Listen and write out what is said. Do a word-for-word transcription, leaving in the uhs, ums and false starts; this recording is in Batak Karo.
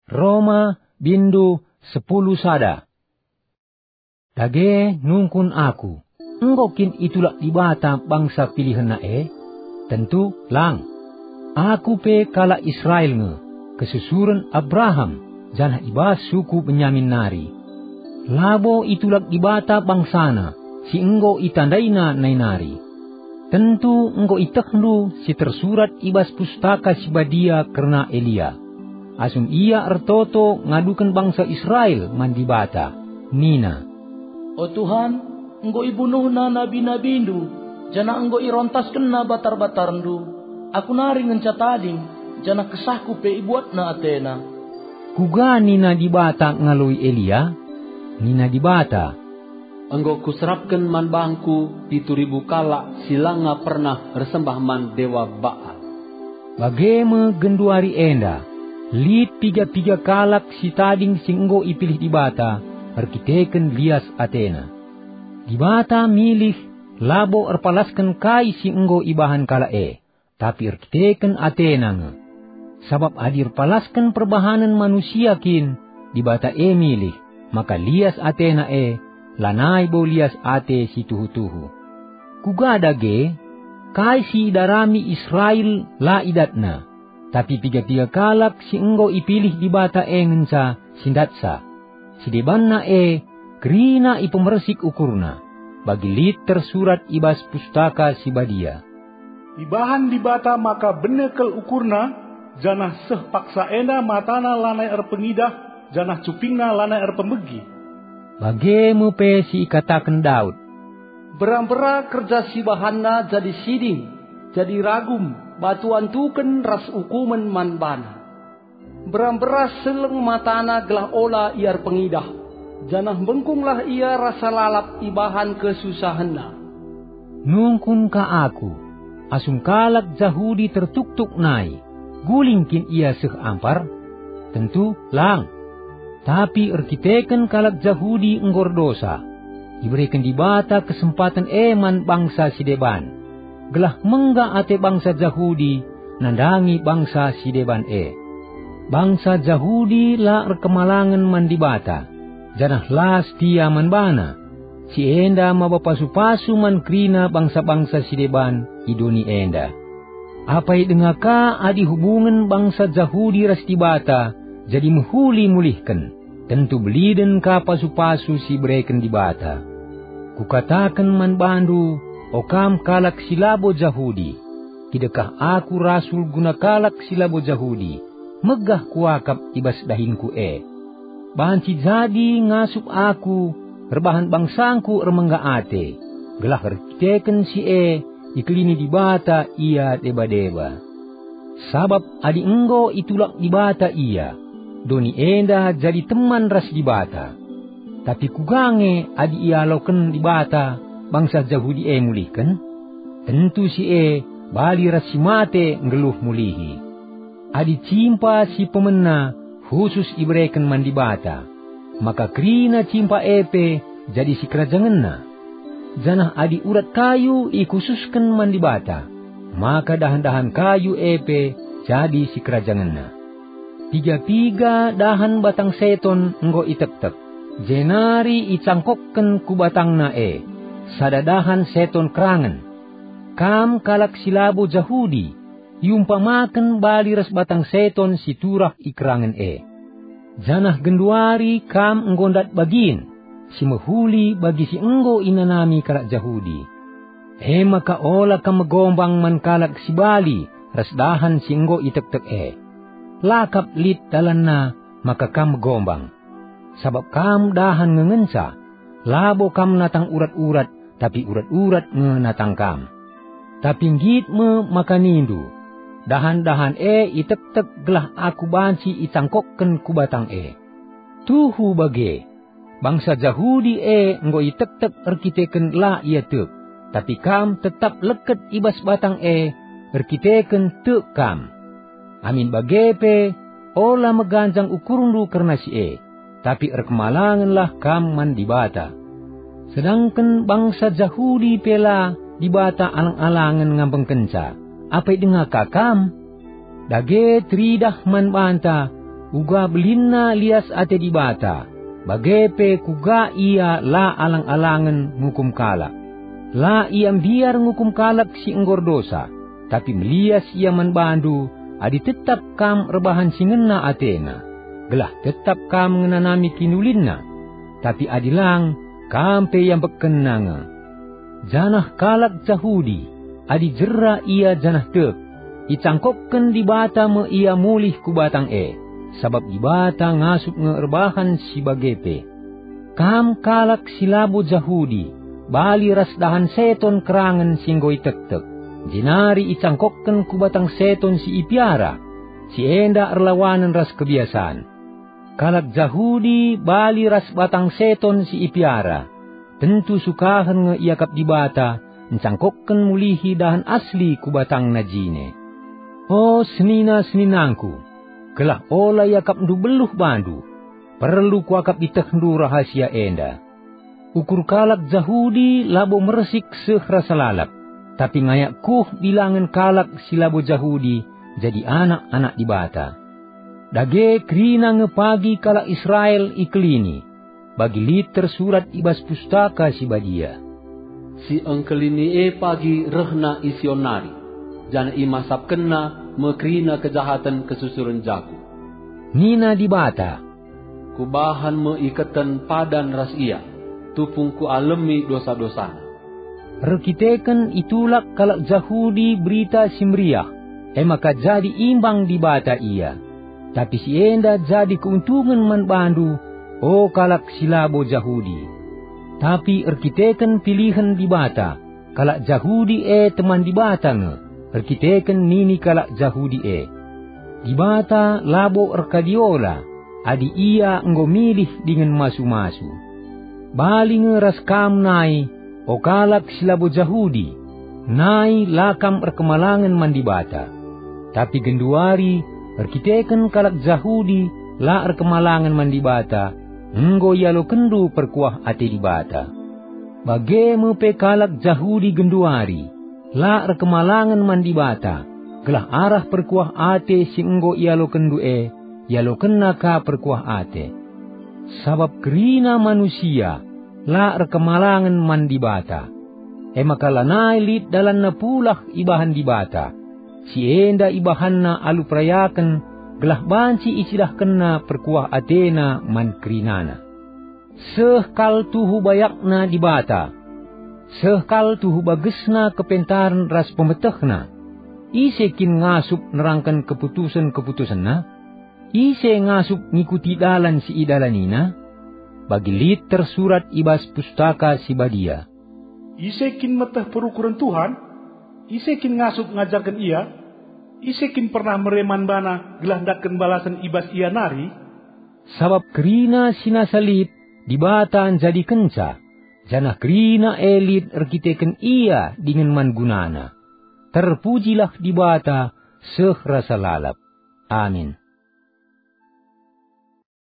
Roma, bindu sepuluh sada. Dage nungkun aku, enggo kin itulak Dibata bangsa pilihenNa e? Tentu lang! Aku pe kalak Israel nge, kesusuren Abraham, janah i bas suku Benyamin nari. Labo itulak Dibata bangsaNa, si enggo itandaina nai nari. Tentu enggo ietehndu si tersurat i bas Pustaka Si Badia kerna Elia, asum ia ertoto ngaduken bangsa Israel man Dibata, nina, "O Tuhan, enggo ibunuhna nabi-nabindu, janah enggo irontaskenna batar-batarndu. Aku nari ngenca tading, janah kesahku pe ibuatna atena." Kuga nina Dibata ngaloi Elia? Nina Dibata, "Enggo Kuserapken man bangKu pitu ribu kalak si langa pernah ersembah man dewa Baal." Bage me genduari enda, lit piga-piga kalak si tading si enggo ipilih Dibata erkiteken lias atena. Dibata milih labo erpalasken kai si enggo ibahan kalak e, tapi erkiteken atena nge. Sabap adi erpalasken perbahanen manusia kin Dibata e milih, maka lias atena e, lanai bo lias ate si tuhu-tuhu. Kuga dage? Kai si idarami Israel la idatna, tapi piga-piga kalak si enggo ipilih Dibata e ngenca si ndatsa. Si debanna e kerina ipemersik ukurna, bagi lit tersurat i bas Pustaka Si Badia, "Ibahan Dibata maka bene kal ukurna, janah seh paksa enda matana lanai erpengidah, janah cupingna lanai erpemegi." Bage me pe si ikataken Daud, "Mbera-mbera kerja si ibahanna jadi siding, jadi ragum, batu antuken ras ukumen man bana." Mbera-mbera seleng matana gelah ola ia erpengidah, janah mbengkunglah ia rasa lalap ibahan kesusahenna. Nungkun ka aku, asum kalak Jahudi tertuktuk nai, guling kin ia seh ampar? Tentu lang! Tapi erkiteken kalak Jahudi enggo erdosa, ibereken Dibata kesempaten e man bangsa si deban, gelah mengga ate bangsa Jahudi nandangi bangsa si deban e. Bangsa Jahudi la erkemalangen man Dibata, janah la setia man baNa. Si enda maba pasu-pasu man kerina bangsa-bangsa si deban i doni enda. Apai denga ka adi hubungen bangsa Jahudi ras Dibata jadi mehuli mulihken, tentu beliden ka pasu-pasu si ibereken Dibata. Kukataken man bandu, o kam kalak si labo Jahudi, kidekah aku rasul guna kalak si labo Jahudi, megah kuakap i bas dahinku e. Banci jadi ngasup aku erbahan bangsangku ermengga ate, gelah erkiteken si e ikelini Dibata ia deba-deba. Sabap adi enggo itulak Dibata ia, doni enda jadi teman ras Dibata. Tapi kuga nge adi ialoken Dibata bangsa Jahudi e mulihken? Tentu si e bali ras si mate nggeluh mulihi. Adi cimpa si pemena khusus ibereken man Dibata, maka kerina cimpa e pe jadi sikerajangenna. Janah adi urat kayu ikhususken man Dibata, maka dahan-dahan kayu e pe jadi sikerajangenna. Piga-piga dahan batang seton enggo itektek, jenari icangkokken ku batangna e sada dahan seton kerangen. Kam kalak si labo Jahudi, iumpamaken bali ras batang seton si turah i kerangen e. Janah genduari kam enggo ndat bagin, si mehuli bagi si enggo inanami kalak Jahudi. E maka ola kam megombang man kalak si bali ras dahan si enggo itektek e. La kap lit dalanna maka kam megombang. Sabap kam dahan nge ngenca, labo kam natang urat-urat, tapi urat-urat nge natang kam. Tapi nggit me maka nindu, "Dahan-dahan e itektek gelah aku banci itangkokken ku batang e." Tuhu bage, bangsa Jahudi e enggo itektek erkiteken la ia tek, tapi kam tetap leket i bas batang e erkiteken tek kam. Amin bage pe, ola meganjang ukurndu kerna si e, tapi erkemalangenlah kam man Dibata. Sedangken bangsa Jahudi pe la Dibata alang-alangen ngambengkenca, apai denga ka kam? Dage teridah man banta Uga belinna lias ate Dibata, bage pe kuga Ia la alang-alangen ngukum kalak. La Ia mbiar ngukum kalak si enggo erdosa, tapi melias Ia man bandu adi tetap kam erbahan si ngena ateNa, gelah tetap kam ngenanami kiniulinNa. Tapi adi lang, kam pe iambekkenNa nge. Janah kalak Jahudi, adi jera ia janah tek, icangkokken Dibata me ia mulih ku batang e, sabap Dibata ngasup nge erbahan si bage pe. Kam kalak si labo Jahudi, bali ras dahan seton kerangen si enggo itektek, jenari icangkokken ku batang seton si ipiara, si enda erlawanen ras kebiasan. Kalak Jahudi bali ras batang seton si ipiara, tentu sukahen nge iakap Dibata ncangkokken mulihi dahan asli ku batangna jine. O senina-seninangku, gelah ola iakapndu beluh bandu, perlu kuakap itehndu rahasia enda. Ukur kalak Jahudi labo mersik seh rasa lalap, tapi ngayak kuh bilangen kalak si labo Jahudi jadi anak-anak Dibata. Dage kerina nge pagi kalak Israel ikelini, bagi lit tersurat i bas Pustaka Si Badia, "Si engkelini e pagi rehna i Sion nari, janah imasapkenna me kerina kejahaten kesusuren jaku." Nina Dibata, "Kubahan me iketen padan ras ia, tupung Kualemi dosa-dosana." Erkiteken itulak kalak Jahudi Berita Si Meriah, e maka jadi imbang Dibata ia. Tapi si enda jadi keuntungen man bandu, o kalak si labo Jahudi. Tapi erkiteken pilihen Dibata, kalak Jahudi e teman Dibata nge, erkiteken nini kalak Jahudi e. Dibata labo erkadiola adi Ia enggo milih dingen masu-masu. Bali nge ras kam nai, o kalak si labo Jahudi, nai la kam erkemalangen man Dibata. Tapi genduari, erkiteken kalak Jahudi la erkemalangen man Dibata, enggo ialokenndu perkuah ate Dibata. Bage me pe kalak Jahudi genduari, la erkemalangen man Dibata, gelah arah perkuah ate si enggo ialokenndu e, ialokenna ka perkuah ate. Sabap kerina manusia la erkemalangen man Dibata, e maka lanai lit dalanna pulah ibahan Dibata. Si enda ibahanna alu perayaken, gelah banci icidahkenna perkuah atena man kerinana. Seh kal tuhu bayakna Dibata, seh kal tuhu bagesna kepentaren ras pemetehna. Ise kin ngasup nerangken keputusen-keputusenna? Ise ngasup ngikuti dalan si idalanina? Bagi lit tersurat i bas Pustaka Si Badia, "Ise kin meteh perukuren Tuhan? Ise kin ngasup ngajarken Ia? Ise kin pernah mere man baNa gelah ndatken balasen i bas Ia nari?" Sabap kerina si nasa lit, Dibata njadikenca, janah kerina e lit erkiteken Ia dingen man gunana. Terpujilah Dibata seh rasa lalap. Amin.